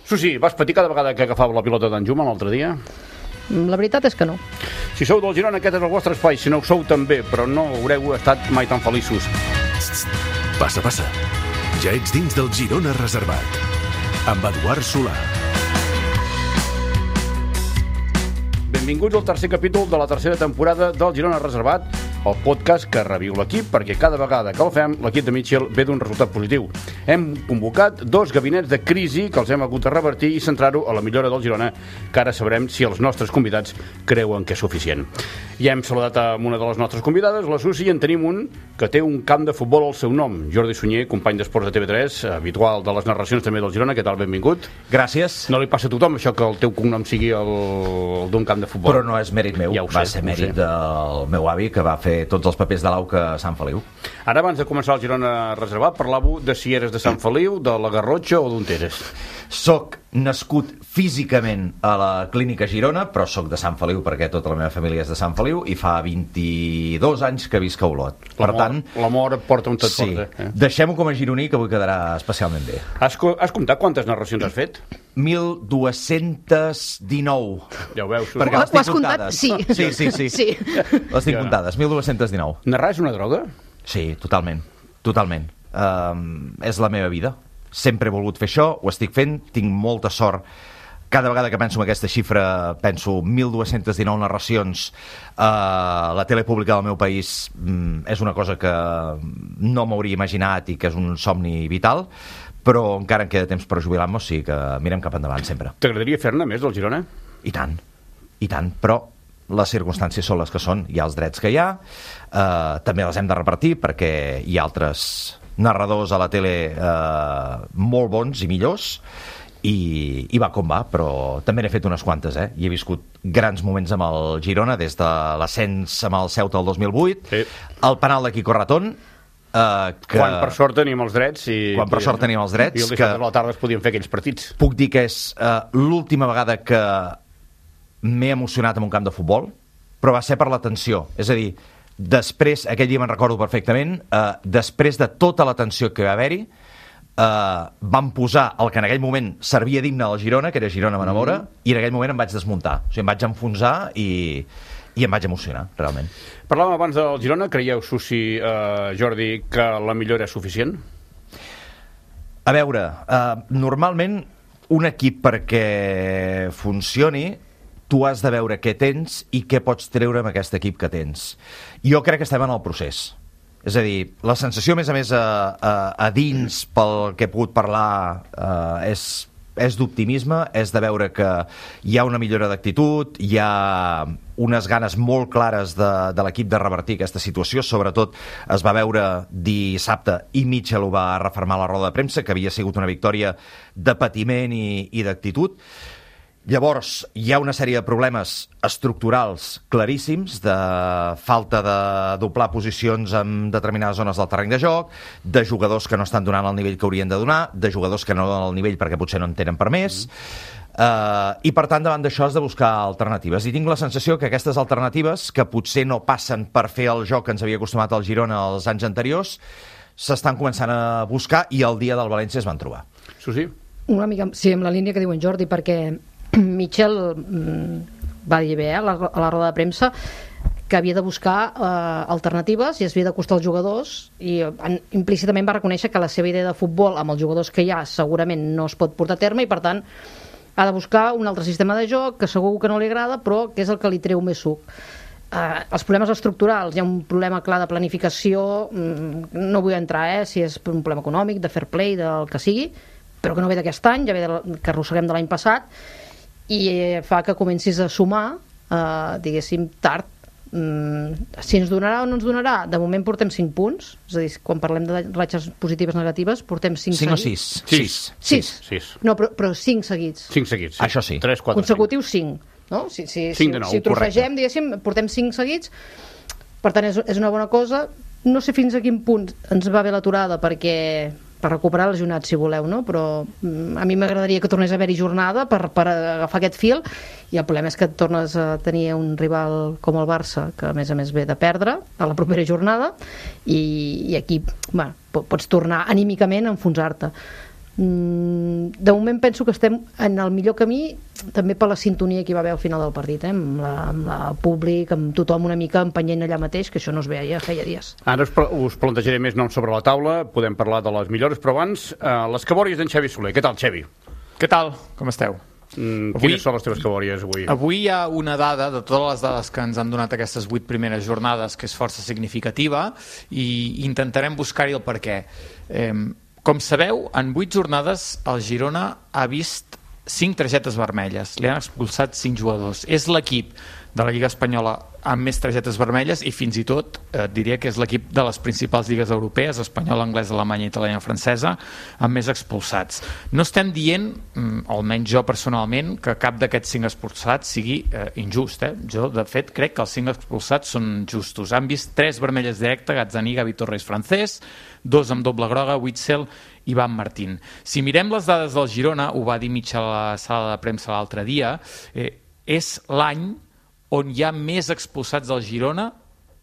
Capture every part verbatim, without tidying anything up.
Susi, vas patir cada vegada que agafava la pilota d'en Juma l'altre dia? La veritat és que no. Si sou del Girona, aquest és el vostre espai. Si no ho sou, també, però no haureu estat mai tan feliços. Passa, passa. Ja ets dins del Girona Reservat. Amb Eduard Solà. Benvinguts al tercer capítol de la tercera temporada del Girona Reservat, el podcast que reviu l'equip perquè cada vegada que el fem l'equip de Mitchell ve d'un resultat positiu. Hem convocat dos gabinets de crisi que els hem hagut de revertir i centrar-ho a la millora del Girona, que ara sabrem si els nostres convidats creuen que és suficient. Ja hem saludat amb una de les nostres convidades, la Susi, i en tenim un que té un camp de futbol al seu nom. Jordi Sunyer, company d'esports de T V tres, habitual de les narracions també del Girona. Què tal? Benvingut. Gràcies. No li passa a tothom això que el teu cognom sigui el, el d'un camp de futbol. Però no és mèrit meu, ja va sé, ser mèrit del meu avi, que va fer tots els papers de l'Auca a Sant Feliu. Ara, abans de començar el Girona Reservat, parlàveu de si eres de Sant Feliu, de la Garrotxa o d'on eres. Soc nascut físicament a la Clínica Girona, però soc de Sant Feliu perquè tota la meva família és de Sant Feliu i fa vint-i-dos anys que visc a Olot. Per tant, l'amor et porta on tot sí, porta. Eh? Deixem-ho com a gironí, que avui quedarà especialment bé. Has, has comptat quantes narracions has fet? mil dos-cents dinou. Ja ho veus. Perquè les Ho has tinc comptat? comptades. Sí. Sí, sí, sí. Sí. Les tinc Ja. comptades, mil dos-cents dinou. Narrar és una droga? Sí, totalment, totalment. Um, és la meva vida. Sempre he volgut fer això, ho estic fent, tinc molta sort. Cada vegada que penso en aquesta xifra, penso mil dos-cents dinou narracions a la tele pública del meu país. um, és una cosa que no m'hauria imaginat i que és un somni vital, però encara em queda temps per jubilar-me, o sigui que mirem cap endavant sempre. T'agradaria fer-ne més del Girona? I tant, i tant, però les circumstàncies són les que són, hi ha els drets que hi ha, eh, també els hem de repartir perquè hi ha altres narradors a la tele eh, molt bons i millors, i, i va com va, però també n'he fet unes quantes, eh? I he viscut grans moments amb el Girona, des de l'ascens amb el Ceuta el dos mil vuit, Sí. el penal de Quico Ratón, eh, que... Quan per sort teníem els drets i... Quan per sort teníem els drets, i el que- dissabte a la tarda es podien fer aquells partits. Puc dir que és eh, l'última vegada que m'he emocionat en un camp de futbol, però va ser per la tensió. És a dir, després, aquell dia me'n recordo perfectament, eh, després de tota la tensió que va haver-hi, eh, van posar el que en aquell moment servia d'himne al Girona, que era Girona m'enamora, mm. i en aquell moment em vaig desmuntar. O sigui, em vaig enfonsar i, i em vaig emocionar, realment. Parlàvem abans del Girona. Creieu, Susi, eh, Jordi, que la millora és suficient? A veure, eh, normalment un equip perquè funcioni tu has de veure què tens i què pots treure amb aquest equip que tens. Jo crec que estem en el procés. És a dir, la sensació, a més a més, a, a, a dins, pel que he pogut parlar, eh, és, és d'optimisme, és de veure que hi ha una millora d'actitud, hi ha unes ganes molt clares de, de l'equip de revertir aquesta situació. Sobretot es va veure dissabte, i Mitchell ho va refermar a la roda de premsa, que havia sigut una victòria de patiment i, i d'actitud. Llavors, hi ha una sèrie de problemes estructurals claríssims, de falta de doblar posicions en determinades zones del terreny de joc, de jugadors que no estan donant el nivell que haurien de donar, de jugadors que no donen el nivell perquè potser no en tenen per més, uh, i per tant, davant d'això has de buscar alternatives. I tinc la sensació que aquestes alternatives, que potser no passen per fer el joc que ens havia acostumat al Girona els anys anteriors, s'estan començant a buscar i el dia del València es van trobar. Susi? Una mica, sí, amb la línia que diu en Jordi, perquè Mitchell mm, va dir bé eh, a, la, a la roda de premsa que havia de buscar eh, alternatives i es havia d'acostar als jugadors, i en, implícitament va reconèixer que la seva idea de futbol amb els jugadors que hi ha segurament no es pot portar a terme, i per tant ha de buscar un altre sistema de joc que segur que no li agrada, però que és el que li treu més suc. Eh, els problemes estructurals, hi ha un problema clar de planificació, mm, no vull entrar eh, si és un problema econòmic, de fair play, del que sigui, però que no ve d'aquest any, ja ve de, que arrosseguem de l'any passat, i fa que comencis a sumar, eh, diguéssim, tard. Mm, si ens donarà o no ens donarà, de moment portem cinc punts, és a dir, quan parlem de ratxes positives negatives, portem cinc cinc o seguits. sis? sis. sis. No, però, però cinc seguits. cinc seguits. Sí. Això sí. tres, quatre, Consecutius cinc. No? Si, si, si, cinc de nou, si trossegem, diguéssim, portem cinc seguits, per tant és, és una bona cosa. No sé fins a quin punt ens va bé l'aturada, perquè per recuperar el lesionat, si voleu, no? Però mm, a mi m'agradaria que tornés a haver-hi jornada per, per agafar aquest fil, i el problema és que tornes a tenir un rival com el Barça, que a més a més ve de perdre a la propera jornada, i, i aquí bueno, pots tornar anímicament a enfonsar-te. De moment penso que estem en el millor camí, també per la sintonia que hi va haver al final del partit, eh? amb, la, amb la públic, amb tothom una mica empenyent allà mateix, que això no es veia feia dies. Ara us, us plantejaré més noms sobre la taula, podem parlar de les millores, però abans eh, les cabòries d'en Xavi Soler. Què tal, Xavi? Què tal? Com esteu? Mm, avui, quines són les teves cabòries avui? Avui hi ha una dada de totes les dades que ens han donat aquestes vuit primeres jornades que és força significativa i intentarem buscar-hi el perquè. Eh, Com sabeu, en vuit jornades el Girona ha vist cinc targetes vermelles. Li han expulsat cinc jugadors. És l'equip de la Lliga Espanyola amb més targetes vermelles i fins i tot eh, diria que és l'equip de les principals lligues europees, espanyola, anglesa, alemanya, italiana, francesa, amb més expulsats. No estem dient, almenys jo personalment, que cap d'aquests cinc expulsats sigui eh, injust. Eh? Jo, de fet, crec que els cinc expulsats són justos. Han vist tres vermelles directes, Gazzaniga, Gavi Torres, Francés, dos amb doble groga, Witzel i Van Martín. Si mirem les dades del Girona, ho va dir Mitchell a la sala de premsa l'altre dia, eh, és l'any on hi ha més expulsats del Girona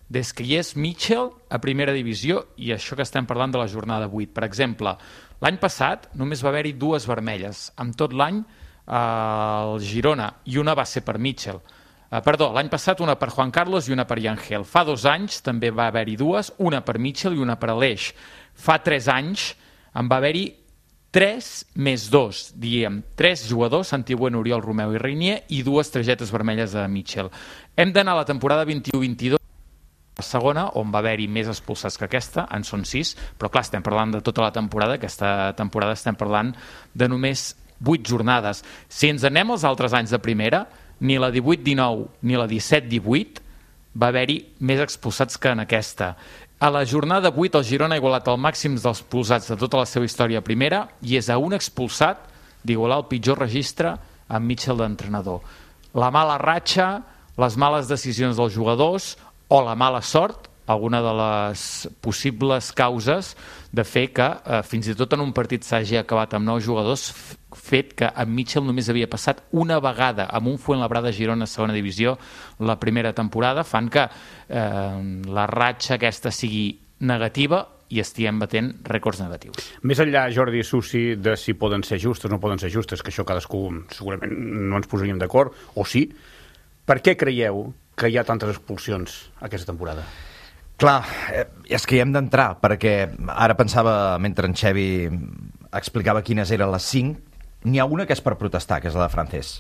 des que hi és Mitchell a primera divisió, i això que estem parlant de la jornada vuit. Per exemple, l'any passat només va haver-hi dues vermelles en tot l'any al Girona, i una va ser per Mitchell. Uh, perdó, l'any passat una per Juan Carlos i una per Yangel. Fa dos anys també va haver-hi dues, una per Mitchell i una per Aleix. Fa tres anys en va haver-hi tres més dos, diguem, tres jugadors, Santi Bueno, Oriol, Romeu i Reinier, i dues targetes vermelles a Mitchell. Hem d'anar a la temporada vint-i-u vint-i-dos, la segona, on va haver-hi més expulsats que aquesta, en són sis, però clar, estem parlant de tota la temporada, aquesta temporada estem parlant de només vuit jornades. Si ens anem als altres anys de primera, ni la divuit dinou ni la disset divuit va haver-hi més expulsats que en aquesta. A la jornada vuit el Girona ha igualat el màxim dels expulsats de tota la seva història a primera i és a un expulsat d'igualar el pitjor registre amb Mitchell d'entrenador. La mala ratxa, les males decisions dels jugadors o la mala sort, alguna de les possibles causes de fer que eh, fins i tot en un partit s'hagi acabat amb nou jugadors, fet que en Mitchell només havia passat una vegada amb un Fuenlabrada Girona a segona divisió la primera temporada, fan que eh, la ratxa aquesta sigui negativa i estiguem batent rècords negatius. Més enllà, Jordi i Susi, de si poden ser justes o no poden ser justes, que això cadascú segurament no ens posaríem d'acord, o sí, per què creieu que hi ha tantes expulsions aquesta temporada? Clar, és que hi hem d'entrar, perquè ara pensava, mentre en Xavi explicava quines eren les cinc, n'hi ha una que és per protestar, que és la de Francés.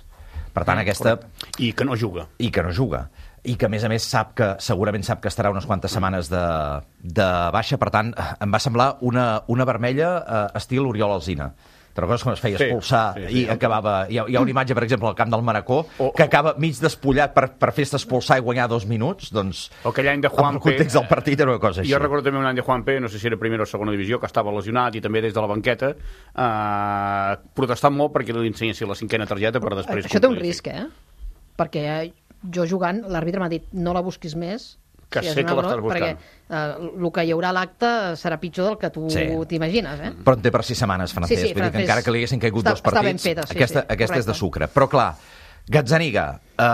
Per tant, aquesta... I que no juga. I que no juga. I que, a més a més, sap que segurament sap que estarà unes quantes setmanes de, de baixa. Per tant, em va semblar una, una vermella eh, estil Oriol Alsina. Te recordes quan es feia expulsar sí, sí, sí, i acabava... Hi ha, hi ha una imatge, per exemple, al camp del Manacó, oh, que acaba mig despullat per, per fer-se expulsar i guanyar dos minuts, doncs... O aquell any de Juan P. En el context del partit era una cosa així. Jo recordo també un any de Juan P., no sé si era primera o segona divisió, que estava lesionat i també des de la banqueta, eh, protestant molt perquè li ensenyessin la cinquena targeta per després... Això té un risc, eh? Perquè jo jugant, l'àrbitre m'ha dit no la busquis més, que sí, sé que l'estàs buscant. Perquè eh, el que hi haurà a l'acte serà pitjor del que tu sí. t'imagines. Eh? Però en té per sis setmanes, Francés. Sí, sí, Vull dir que encara que li haguessin caigut està, dos partits, feta, sí, aquesta, sí, aquesta és de sucre. Però clar, Gazzaniga eh,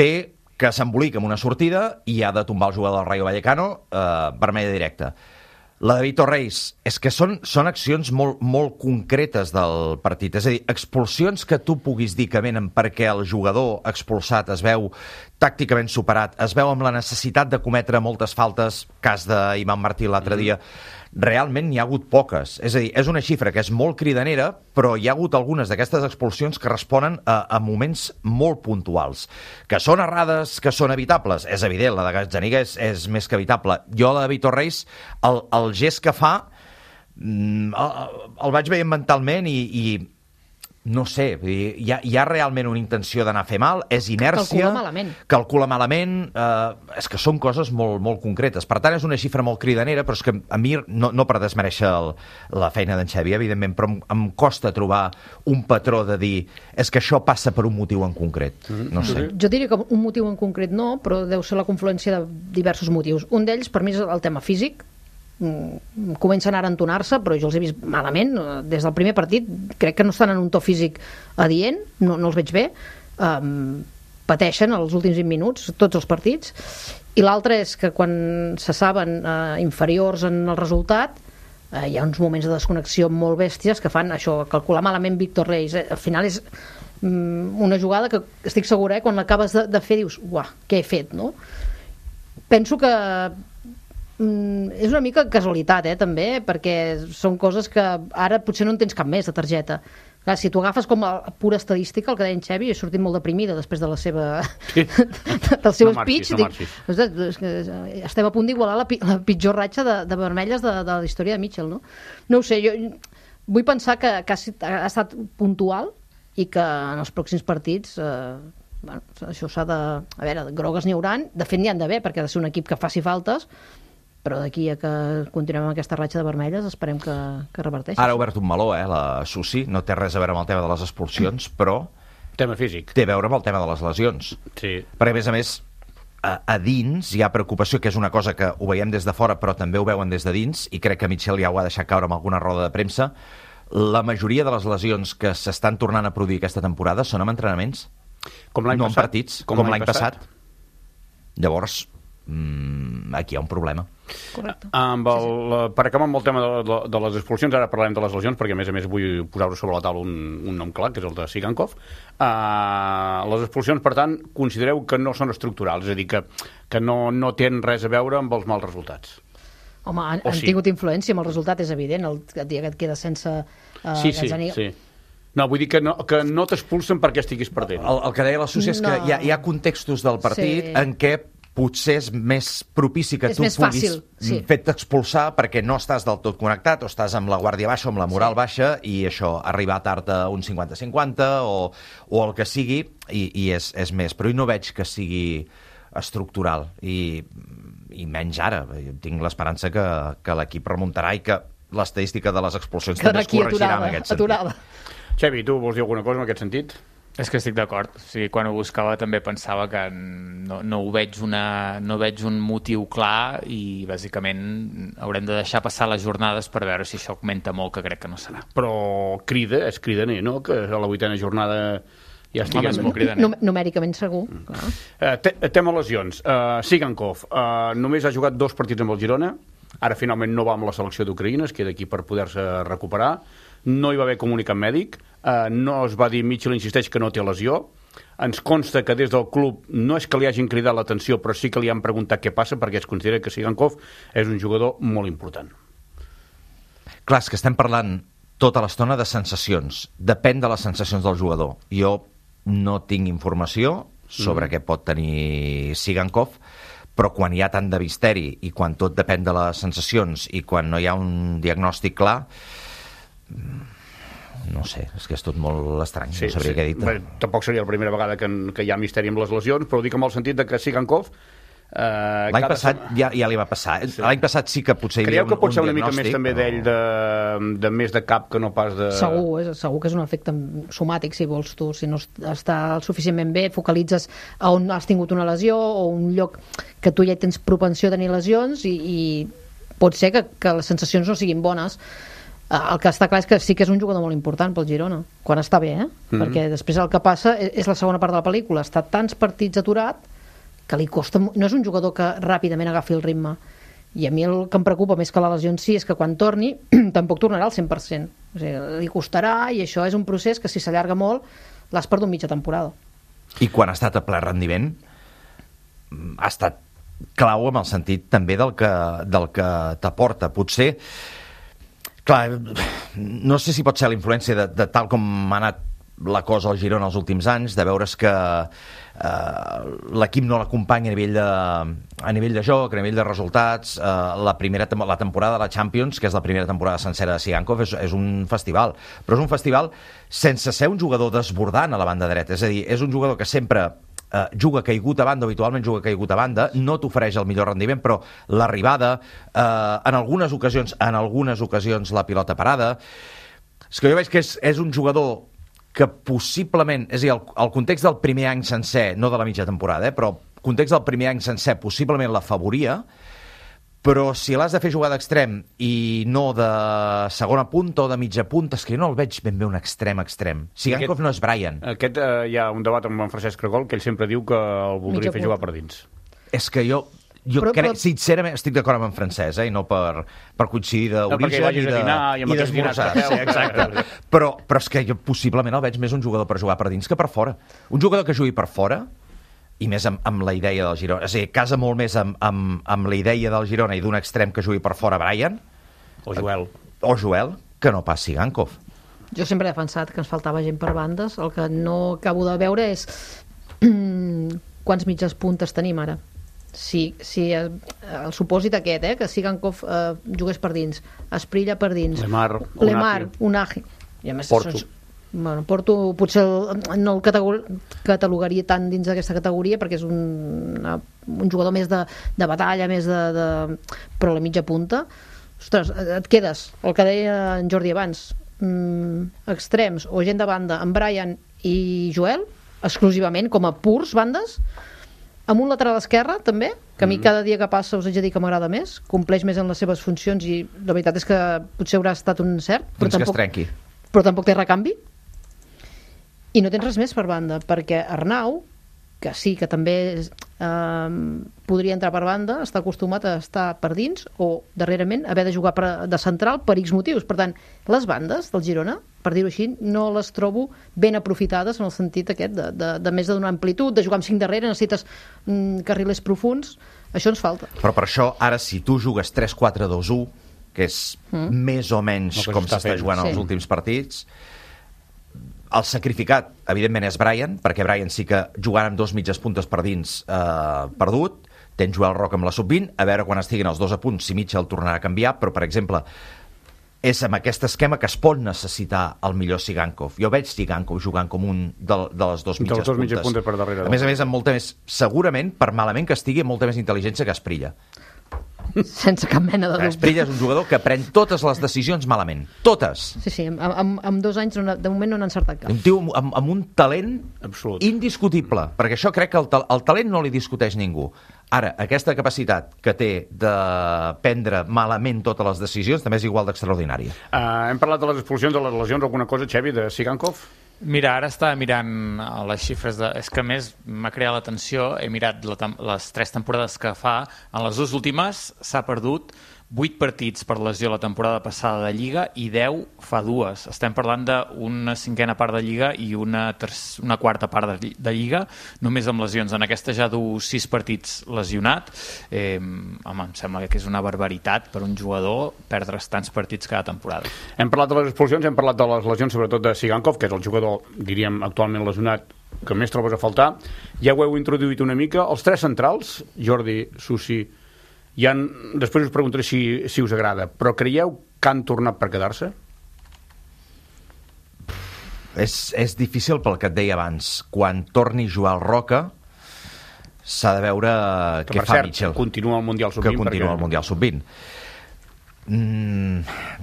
ve que s'embolica amb una sortida i ha de tombar el jugador del Rayo Vallecano, eh, vermella directa. La de Vitor Reis, és que són, són accions molt, molt concretes del partit. És a dir, expulsions que tu puguis dir que venen perquè el jugador expulsat es veu tàcticament superat, es veu amb la necessitat de cometre moltes faltes, cas d'Ivan Martí l'altre dia, realment n'hi ha hagut poques. És a dir, és una xifra que és molt cridanera, però hi ha hagut algunes d'aquestes expulsions que responen a, a moments molt puntuals. Que són errades, que són evitables. És evident, la de Gazzaniga és, és més que evitable. Jo, la de Vitor Reis, el, el gest que fa, el, el vaig veient mentalment i... i no sé, hi ha, hi ha realment una intenció d'anar a fer mal, és inèrcia... Calcula malament. Calcula malament, eh, és que són coses molt, molt concretes. Per tant, és una xifra molt cridanera, però és que a mi, no, no per desmereixer el, la feina d'en Xavi, evidentment, però em, em costa trobar un patró de dir és que això passa per un motiu en concret. No sé. Jo diria que un motiu en concret no, però deu ser la confluència de diversos motius. Un d'ells, per mi, és el tema físic. Comencen ara a entonar-se, però jo els he vist malament des del primer partit, crec que no estan en un to físic adient, no, no els veig bé, um, pateixen els últims vint minuts tots els partits, i l'altre és que quan se saben uh, inferiors en el resultat, eh, hi ha uns moments de desconnexió molt bèsties que fan això, calcular malament Víctor Reis. Eh? Al final és mm, una jugada que estic segura, eh, quan l'acabes de, de fer dius, uah, què he fet, no? Penso que mm, és una mica casualitat, eh, també, perquè són coses que ara potser no en tens cap més de targeta. Clar, si tu agafes com a pura estadística, el que deia en Xevi, he sortit molt deprimida després de la seva... Sí. del seu no speech. Marxis, no dic, és que estem a punt d'igualar la, la pitjor ratxa de, de vermelles de, de la història de Mitchell, no? No ho sé, jo vull pensar que, que ha, ha estat puntual i que en els pròxims partits... Eh, bueno, això s'ha de... A veure, grogues n'hi hauran, de fet n'hi han d'haver, perquè ha de ser un equip que faci faltes, però d'aquí a que continuem amb aquesta ratxa de vermelles esperem que, que reverteixi. Ara ha obert un meló, eh, la Susi, no té res a veure amb el tema de les expulsions, però... Tema físic. Té a veure amb el tema de les lesions. Sí. Perquè, a més a més, a, a dins hi ha preocupació, que és una cosa que ho veiem des de fora, però també ho veuen des de dins, i crec que Mitchell ja ho ha deixat caure amb alguna roda de premsa. La majoria de les lesions que s'estan tornant a produir aquesta temporada són amb entrenaments, com l'any no passat. en partits, com, com l'any passat. passat. Llavors, mmm, aquí hi ha un problema. Correcte. Amb el, sí, sí. Per acabar amb el tema de, de, de les expulsions, ara parlarem de les lesions, perquè a més a més vull posar-ho sobre la taula un, un nom clar, que és el de Sigankov. Uh, les expulsions, per tant, considereu que no són estructurals, és a dir, que, que no, no tenen res a veure amb els mals resultats. Home, han, O han sí. tingut influència, amb el resultat és evident, el dia que et queda sense... Uh, Sí, sí, Gazzaniga. sí. No, vull dir que no, que no t'expulsen perquè estiguis perdent. El, el que deia la Susi és que No. hi ha, hi ha contextos del partit Sí. en què potser és més propici que És tu més puguis fàcil, sí. fer-te expulsar perquè no estàs del tot connectat o estàs amb la guàrdia baixa o amb la moral sí. baixa i això, arribar tard a un cinquanta cinquanta o, o el que sigui i, i és, és més, però jo no veig que sigui estructural i, i menys ara. Tinc l'esperança que, que l'equip remuntarà i que l'estadística de les expulsions Quedarà també es aquí corregirà aturada, en aquest sentit. aturada. Xevi, tu vols dir alguna cosa en aquest sentit? És que estic d'acord. O sigui, quan ho buscava també pensava que no, no, ho veig una, no veig un motiu clar i bàsicament haurem de deixar passar les jornades per veure si això augmenta molt, que crec que no serà. Però crida, és cridaner, no? Que a la vuitena jornada ja estiguem... Home, és molt cridaner. Num numèricament segur. Mm. Clar. Uh, te tema lesions. Uh, Sigankov uh, només ha jugat dos partits amb el Girona, ara finalment no va amb la selecció d'Ucraïna, es queda aquí per poder-se recuperar, no hi va haver comunicat mèdic, uh, no es va dir, Mitchell insisteix que no té lesió, ens consta que des del club no és que li hagin cridat l'atenció, però sí que li han preguntat què passa, perquè es considera que Sigankov és un jugador molt important. Clar, és que estem parlant tota l'estona de sensacions. Depèn de les sensacions del jugador. Jo no tinc informació sobre mm. què pot tenir Sigankov, però quan hi ha tant de misteri i quan tot depèn de les sensacions i quan no hi ha un diagnòstic clar, no sé, és que és tot molt estrany, sí, no sabria sí. què dir. Bé, tampoc seria la primera vegada que, que hi ha misteri amb les lesions, però ho dic amb el sentit de que Sigankov Uh, L'any passat ja, ja li va passar. Sí. L'any passat sí que potser hi havia un, que pot ser un una mica més també però... d'ell de, de més de cap que no pas de... Segur, és, segur que és un efecte somàtic, si vols tu. Si no està suficientment bé, focalitzes a on has tingut una lesió o un lloc que tu ja tens propensió a tenir lesions i, i pot ser que, que les sensacions no siguin bones. El que està clar és que sí que és un jugador molt important pel Girona, quan està bé, eh? Mm-hmm. Perquè després el que passa és la segona part de la pel·lícula. Està tants partits aturat que li costa... No és un jugador que ràpidament agafi el ritme. I a mi el que em preocupa més que la lesió en si és que quan torni tampoc tornarà al cent per cent. O sigui, li costarà i això és un procés que si s'allarga molt l'has perdut mitja temporada. I quan ha estat a ple rendiment ha estat clau en el sentit també del que, del que t'aporta. Potser... Clar, no sé si pot ser la influència de, de tal com ha anat la cosa al Girona els últims anys, de veure's que eh, l'equip no l'acompanya a nivell de, a nivell de joc, a nivell de resultats. Eh, la primera la temporada de la Champions, que és la primera temporada sencera de Sigankov, és, és un festival, però és un festival sense ser un jugador desbordant a la banda dreta, és a dir, és un jugador que sempre Uh, juga caigut a banda, habitualment juga caigut a banda, no t'ofereix el millor rendiment, però l'arribada, uh, en algunes ocasions, en algunes ocasions la pilota parada. És que jo veig que és, és un jugador que possiblement, és a dir, el, el context del primer any sencer, no de la mitja temporada, eh, però el context del primer any sencer possiblement l'afavoria, però si l'has de fer jugar d'extrem i no de segona punta o de mitja punta, és que jo no el veig ben bé un extrem extrem. Sigankov no és Brian. Aquest eh, hi ha un debat amb en Francesc Cregol que ell sempre diu que el voldria fer jugar per dins. És que jo, jo però, crec, però... sincerament, estic d'acord amb en Francesc, eh, i no per, per coincidir d'origen no, i de, i d'esmorzar. Sí, exacte. però, però és que jo possiblement el veig més un jugador per jugar per dins que per fora. Un jugador que jugui per fora, i més amb, amb la idea del Girona, és a dir, casa molt més amb, amb, amb la idea del Girona i d'un extrem que jugui per fora Brian, o Joel, o Joel, que no pas Sigankov. Jo sempre he defensat que ens faltava gent per bandes, el que no acabo de veure és quants mitges puntes tenim ara. Si, si el, el supòsit aquest, eh, que Sigankov eh, jugués per dins, Asprilla per dins, Lemar, Lemar, Unagi, i a més Porto. Això és, bueno, Porto potser el, no el categor, catalogaria tant dins d'aquesta categoria perquè és un, una, un jugador més de, de batalla, més de, de... però la mitja punta, ostres, et quedes, el que deia en Jordi abans, mm, extrems o gent de banda, en Brian i Joel, exclusivament, com a purs bandes, amb un lateral esquerre també, que a mi cada dia que passa us haig de dir que m'agrada més, compleix més en les seves funcions i la veritat és que potser haurà estat un encert, però Fins tampoc, que es trenqui. però tampoc té recanvi. I no tens res més per banda, perquè Arnau, que sí, que també eh, podria entrar per banda, està acostumat a estar per dins o, darrerament, haver de jugar per, de central per X motius. Per tant, les bandes del Girona, per dir-ho així, no les trobo ben aprofitades en el sentit aquest de, de, de més de donar amplitud, de jugar amb cinc darrere, necessites mm, carrilers profuns, això ens falta. Però per això, ara, si tu jugues tres quatre dos u, que és mm. més o menys no, com s'està jugant sí. als últims partits, el sacrificat, evidentment, és Brian, perquè Brian sí que jugant amb dos mitges puntes per dins eh, perdut, tens Joel Roca amb la sub vint, a veure quan estiguin els dos a punt si Mitchell tornarà a canviar, però, per exemple, és amb aquest esquema que es pot necessitar el millor Sigankov. Jo veig Sigankov jugant com un de, de les dos mitges dos puntes. mitges puntes per darrere. A més a més, amb molta més, segurament, per malament que estigui, molta més intel·ligència que Asprilla. Sense cap mena de dubte. Asprilla és un jugador que pren totes les decisions malament. Totes. Sí, sí, amb, amb, amb dos anys no, de moment no n'ha encertat cap. Un tio amb, amb un talent absolut, indiscutible, perquè això crec que el, el talent no li discuteix ningú. Ara, aquesta capacitat que té de prendre malament totes les decisions també és igual d'extraordinària. Uh, hem parlat de les expulsions, de les lesions, alguna cosa, Xevi, de Sigankov? Mira, ara estava mirant les xifres de... És que a més m'ha creat l'atenció, he mirat la, les tres temporades que fa, en les dues últimes s'ha perdut vuit partits per lesió la temporada passada de Lliga i deu fa dues. Estem parlant d'una cinquena part de Lliga i una, terç, una quarta part de, de Lliga, només amb lesions. En aquesta ja du sis partits lesionat. Eh, home, em sembla que és una barbaritat per un jugador perdre's tants partits cada temporada. Hem parlat de les expulsions, hem parlat de les lesions, sobretot de Sigankov, que és el jugador, diríem, actualment lesionat que més trobes a faltar. Ja ho heu introduït una mica. Els tres centrals, Jordi, Susi, ja han, després us preguntaré si, si us agrada, però creieu que han tornat per quedar-se? És, és difícil pel que et deia abans. Quan torni Joel Roca s'ha de veure que, què fa cert, Mitchell. Que continua el Mundial sub vint. Que continua perquè... el Mundial sub vint. Mm,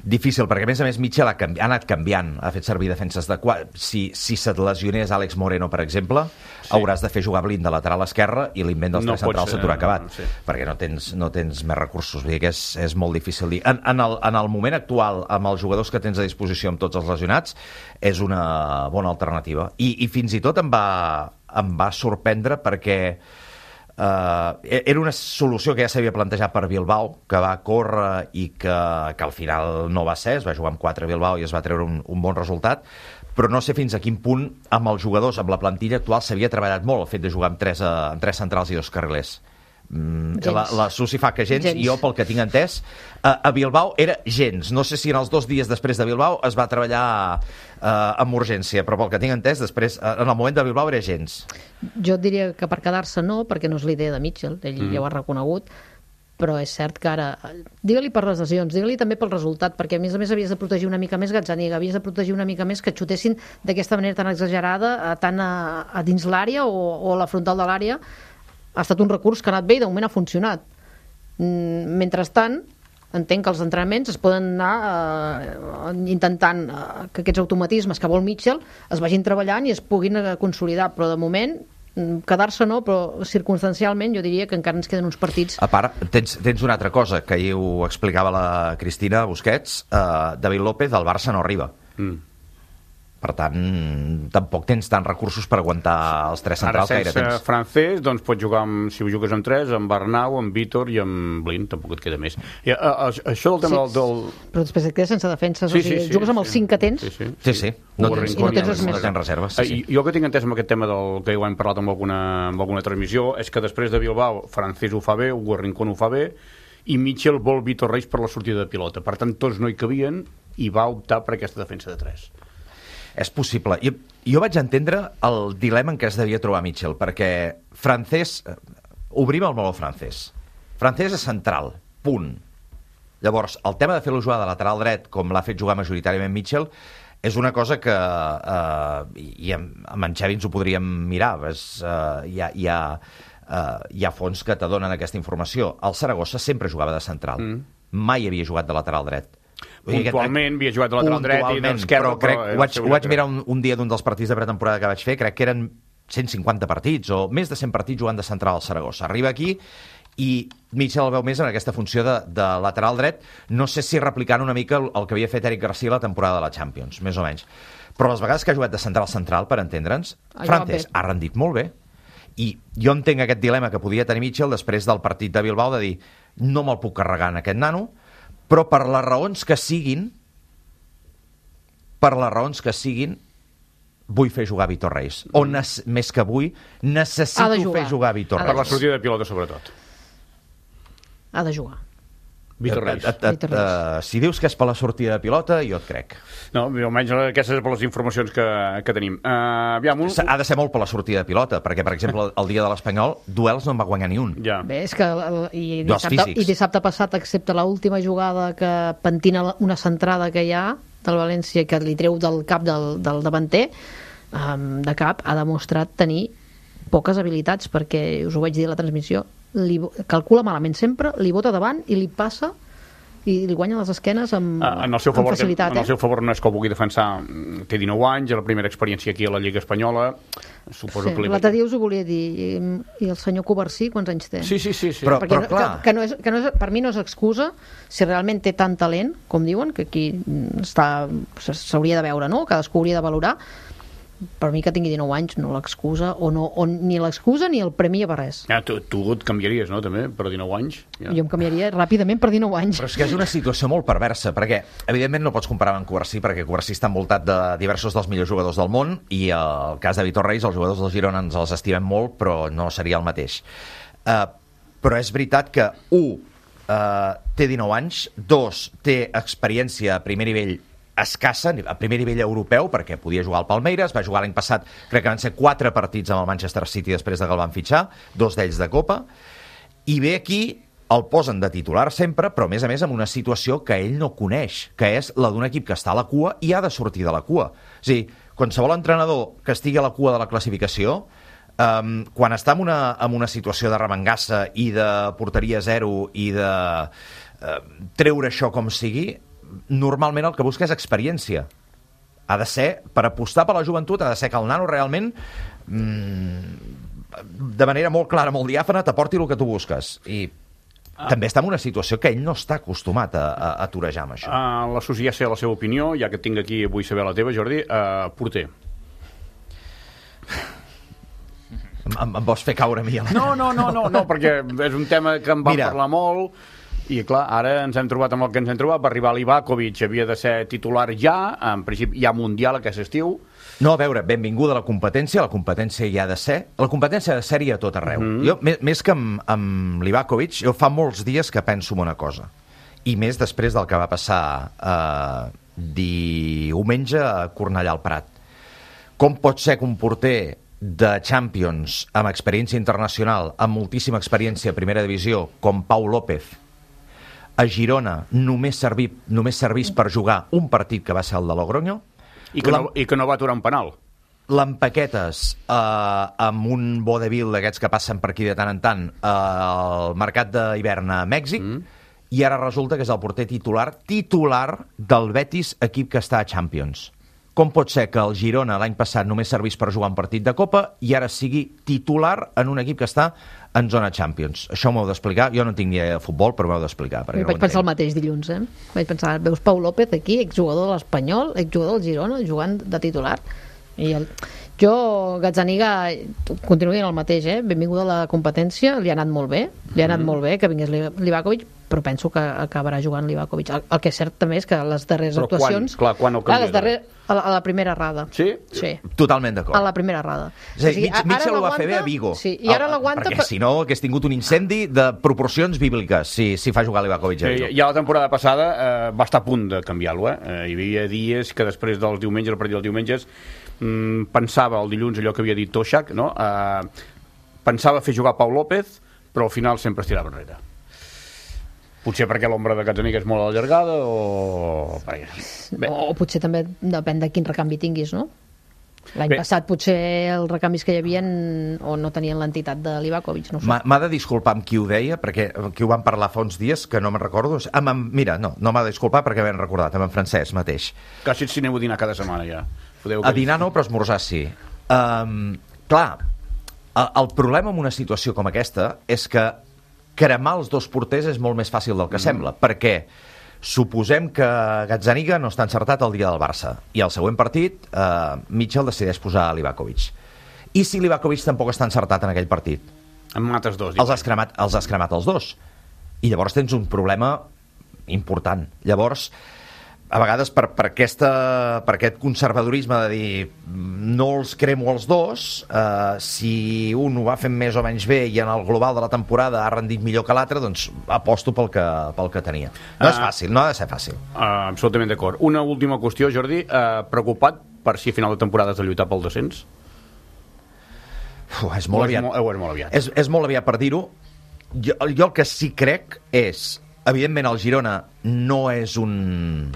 difícil, perquè a més a més Mitchell ha, canvi, ha anat canviant, ha fet servir defenses de quatre. Si, si se't lesionés Àlex Moreno, per exemple, sí, hauràs de fer jugar Blind de lateral esquerre i l'invent dels no tres centrals se t'haurà acabat, no, sí, perquè no tens, no tens més recursos. Vull dir que és, és molt difícil dir. En, en, el, en el moment actual, amb els jugadors que tens a disposició amb tots els lesionats, és una bona alternativa. I, i fins i tot em va, em va sorprendre perquè Uh, era una solució que ja s'havia plantejat per Bilbao, que va córrer i que, que al final no va ser, es va jugar amb quatre a Bilbao i es va treure un, un bon resultat, però no sé fins a quin punt amb els jugadors, amb la plantilla actual s'havia treballat molt el fet de jugar amb tres, uh, amb tres centrals i dos carrilers. Mm, la, la Susi fa que gens, gens, i jo pel que tinc entès a, a Bilbao era gens. No sé si en els dos dies després de Bilbao es va treballar uh, amb urgència, però pel que tinc entès després, uh, en el moment de Bilbao era gens. Jo et diria que per quedar-se no, perquè no és l'idea de Mitchell, ell mm. ja ho ha reconegut, però és cert que ara, digue-li per les lesions, digue-li també pel resultat, perquè a més a més havies de protegir una mica més Gazzaniga, havies de protegir una mica més que xutessin d'aquesta manera tan exagerada, tant a, a dins l'àrea o, o a la frontal de l'àrea. Ha estat un recurs que ha anat bé i de moment ha funcionat. Mentrestant, entenc que els entrenaments es poden anar eh, intentant eh, que aquests automatismes que vol Mitchell es vagin treballant i es puguin eh, consolidar, però de moment quedar-se no, però circumstancialment jo diria que encara ens queden uns partits. A part, tens, tens una altra cosa que ahir ho explicava la Cristina Busquets, eh, David López del Barça no arriba. Mm. Per tant, tampoc tens tants recursos per aguantar els tres centrals que gaire tens. Ara, sense tens. Francés, doncs pots jugar, amb, si ho jugues amb tres, amb Arnau, amb Vítor i amb Blin, tampoc et queda més. I, a, a, això del tema Sí, del, del... Però després et quedes sense defenses, Sí, o sigui, sí, sí, jugues amb els sí. cinc que tens. Sí, sí. Sí, sí. No Hugo tens, Rincón no tens i res el- més. no tens reserves. Sí, sí. Eh, Jo que tinc entès amb aquest tema del que ho hem parlat amb alguna, amb alguna transmissió és que després de Bilbao, Francés ho fa bé, Hugo Rincón ho fa bé, i Mitchell vol Vítor Reis per la sortida de pilota. Per tant, tots no hi cabien i va optar per aquesta defensa de tres. És possible. Jo, jo vaig entendre el dilema en què es devia trobar Mitchell, perquè Francés... eh, Obrim el meló Francés. Francés és central, punt. Llavors, el tema de fer-lo jugar de lateral dret, com l'ha fet jugar majoritàriament Mitchell, és una cosa que eh, i amb, amb en Xavi ens ho podríem mirar. És, eh, hi, ha, hi, ha, eh, hi ha fons que t'adonen aquesta informació. El Saragossa sempre jugava de central. Mm. Mai havia jugat de lateral dret. Puntualment havia jugat de lateral dret i d'esquerra, però crec, però ho vaig, ho vaig mirar un, un dia d'un dels partits de pretemporada que vaig fer, crec que eren cent cinquanta partits o més de cent partits jugant de central al Saragossa. Arriba aquí i Mitchell el veu més en aquesta funció de, de lateral dret, no sé si replicant una mica el, el que havia fet Eric Garcia la temporada de la Champions, més o menys. Però les vegades que ha jugat de central-central, per entendre'ns, Ha Francés jugat bé. ha rendit molt bé. I jo entenc aquest dilema que podia tenir Mitchell després del partit de Bilbao de dir no me'l puc carregar en aquest nano, però per les raons que siguin, per les raons que siguin, vull fer jugar Vítor Reis. O nes- més que vull, necessito Ha de jugar. fer jugar Vítor Ha de Per la Reis. sortida de pilota, sobretot. Ha de jugar. Vítor Reis. Et- et- et- Vítor Reis. eh, si dius que és per la sortida de pilota, jo et crec. No, almenys aquestes són les informacions que, que tenim. Uh, aviam, un... Ha de ser molt per la sortida de pilota, perquè, per exemple, el dia de l'Espanyol, duels no en va guanyar ni un. Ja. Bé, és que el- i Dos dissabte, físics. i dissabte passat, excepte l'última jugada que pentina la- una centrada que hi ha del València que li treu del cap del, del davanter, um, de cap, ha demostrat tenir poques habilitats, perquè us ho vaig dir a la transmissió, li, bo- calcula malament sempre, li bota davant i li passa i li guanya les esquenes amb, Ah, en el seu amb favor, facilitat. en el Eh? seu favor no és que ho vulgui defensar, mm, té dinou anys, la primera experiència aquí a la Lliga Espanyola, suposo Sí, que li... l'altre dia us ho volia dir, i, i el senyor Covarsí, quants anys té? Sí, sí, sí, sí. Però- Perquè no, clar. que, que no és, que no és, per mi no és excusa si realment té tant talent, com diuen, que aquí mm, està s'hauria de veure, no? Cadascú hauria de valorar. Per mi que tingui dinou anys no l'excusa, o, no, o ni l'excusa ni el premia per res. Ja, tu, tu et canviaries, no, també, per dinou anys? Ja. Jo em canviaria ràpidament per dinou anys. Però és que és una situació molt perversa, perquè evidentment no pots comparar amb Covarsí, perquè Covarsí està envoltat de diversos dels millors jugadors del món, i el cas de Vítor Reis, els jugadors del Girona ens els estimem molt, però no seria el mateix. Uh, però és veritat que, un, uh, té dinou anys, dos, té experiència a primer nivell escassa, a primer nivell europeu, perquè podia jugar al Palmeiras, va jugar l'any passat, crec que van ser quatre partits amb el Manchester City després de que el van fitxar, dos d'ells de Copa, i ve aquí, el posen de titular sempre, però a més a més amb una situació que ell no coneix, que és la d'un equip que està a la cua i ha de sortir de la cua. És a dir, qualsevol entrenador que estigui a la cua de la classificació, um, quan està en una, en una situació de remengassa i de porteria zero i de uh, treure això com sigui, normalment el que busca és experiència. Ha de ser, per apostar per la joventut, ha de ser que el nano realment mmm, de manera molt clara, molt diàfana, t'aporti el que tu busques. I ah. també està en una situació que ell no està acostumat a, a, a torejar amb això. Uh, L'associar sé la seva opinió, ja que tinc aquí, vull saber la teva, Jordi. Uh, porter. Em, em vols fer caure a mi? A la... No, no, no, no, no, perquè és un tema que em va Mira. parlar molt, i clar, ara ens hem trobat amb el que ens hem trobat, va arribar l'Ivakovic, havia de ser titular ja, en principi hi ha Mundial aquest estiu. No, a veure, benvinguda a la competència, la competència hi ha de ser, la competència ha de ser-hi a tot arreu. Mm. Jo, més, més que amb, amb l'Ivakovic, jo fa molts dies que penso en una cosa, i més després del que va passar eh, diumenge a Cornellà al Prat. Com pot ser que un porter de Champions amb experiència internacional, amb moltíssima experiència a primera divisió, com Pau López, a Girona només, serví, només servís per jugar un partit que va ser el de Logroño, I que, no, i que no va aturar un penal. l'empaquetes eh, amb un vodevil d'aquests que passen per aquí de tant en tant eh, al mercat d'hivern a Mèxic, mm. i ara resulta que és el porter titular titular del Betis, equip que està a Champions. com pot ser que el Girona l'any passat només servís per jugar un partit de Copa i ara sigui titular en un equip que està en zona Champions? Això m'ho heu d'explicar. Jo no tinc ni idea de futbol, però m'ho heu d'explicar. Jo vaig pensar el mateix dilluns, eh? Vaig pensar, veus Pau López aquí, exjugador de l'Espanyol, exjugador del Girona, jugant de titular. I el... Jo, Gazzaniga, continuo dient el mateix, eh? Benvinguda a la competència, li ha anat molt bé, li ha anat mm. molt bé que vingués Livakovic, però penso que acabarà jugant Livakovic. El, el que és cert també és que les darreres però actuacions... Quan? Clar, quan ho clar, les darreres, a, la, a la primera rada. Sí? Sí. Totalment d'acord. A la primera rada. És a dir, Mitchell ho va fer bé a Vigo. Sí, i ara l'aguanta... Perquè si no hagués tingut un incendi de proporcions bíbliques si, si fa jugar Livakovic a Vigo. Sí, ja la temporada passada eh, va estar a punt de canviar-lo. Eh? Eh, hi havia dies que després dels diumenges, el partit dels diumenges, mm, pensava el dilluns allò que havia dit Toshak, no? Eh, pensava fer jugar Pau López, però al final sempre es tirava enrere. Potser perquè l'ombra de Gazzaniga és molt allargada o... Bé. O potser també depèn de quin recanvi tinguis, no? L'any passat potser els recanvis que hi havia o no tenien l'entitat de Livakovic, no sé. M'ha de disculpar amb qui ho deia, perquè qui ho van parlar fa uns dies, que no me'n recordo. Amb, amb, mira, no, no m'ha de disculpar perquè ben recordat, amb en Francesc mateix. Quasi si aneu a dinar cada setmana ja. Podeu a dinar no, però esmorzar sí. Um, clar, el, el problema en una situació com aquesta és que cremar els dos porters és molt més fàcil del que mm. sembla, perquè suposem que Gazzaniga no està encertat el dia del Barça i al següent partit eh, Mitchell decideix posar a Livakovic. I si Livakovic tampoc està encertat en aquell partit? En mates dos. Els has, cremat, els has cremat els dos. I llavors tens un problema important. Llavors, a vegades per, per, aquesta, per aquest conservadorisme de dir no els cremo els dos, eh, si un ho va fent més o menys bé i en el global de la temporada ha rendit millor que l'altre, doncs aposto pel que, pel que tenia. No uh, és fàcil, no ha de ser fàcil. Uh, absolutament d'acord. Una última qüestió, Jordi. Uh, preocupat per si a final de temporada has de lluitar pel descens? Uf, és molt aviat. És molt, és molt aviat. És, és molt aviat per dir-ho. Jo, jo el que sí crec és, evidentment el Girona no és un...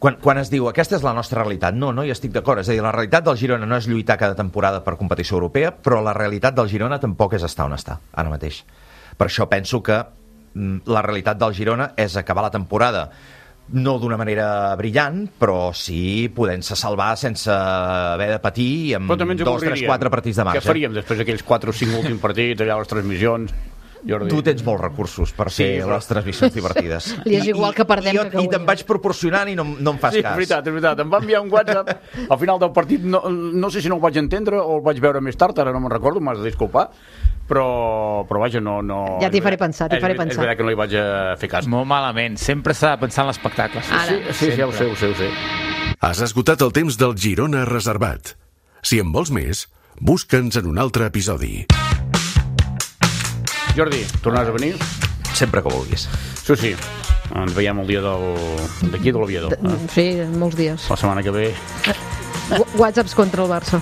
Quan, quan es diu, aquesta és la nostra realitat, no, no hi estic d'acord. És a dir, la realitat del Girona no és lluitar cada temporada per competició europea, però la realitat del Girona tampoc és estar on està, ara mateix. Per això penso que mm, la realitat del Girona és acabar la temporada no d'una manera brillant, però sí podent-se salvar sense haver de patir i amb dos, tres, quatre partits de marge. Què faríem després d'aquells quatre o cinc últims partits, allà les transmissions... Jordi. Tu tens molts recursos per fer sí, però... les transmissions divertides. Li és igual que perdem I, que I te'n vaig proporcionant i no, no em fas sí, cas. Sí, és veritat, és veritat. Em va enviar un WhatsApp al final del partit, no, no sé si no el vaig entendre o el vaig veure més tard, ara no me'n recordo, m'has de disculpar, però, però vaja, no... no ja t'hi faré pensar, t'hi faré pensar. És veritat que no li vaig fer cas. Molt malament, sempre s'ha de pensar en l'espectacle. Sí, sí, sí, sí, ja ho sé, ho sé, ho sé. Has esgotat el temps del Girona reservat. Si en vols més, busca'ns en un altre episodi. Jordi, tornaràs a venir? Sempre que vulguis. Sí, sí. Ens veiem el dia del... d'aquí, de l'Oviedo. Sí, molts dies. La setmana que ve. Whatsapps contra el Barça.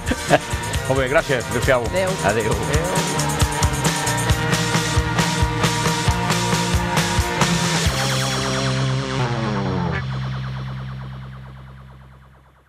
Molt bé, gràcies. Adéu-siau. Adéu. Adéu. Adéu.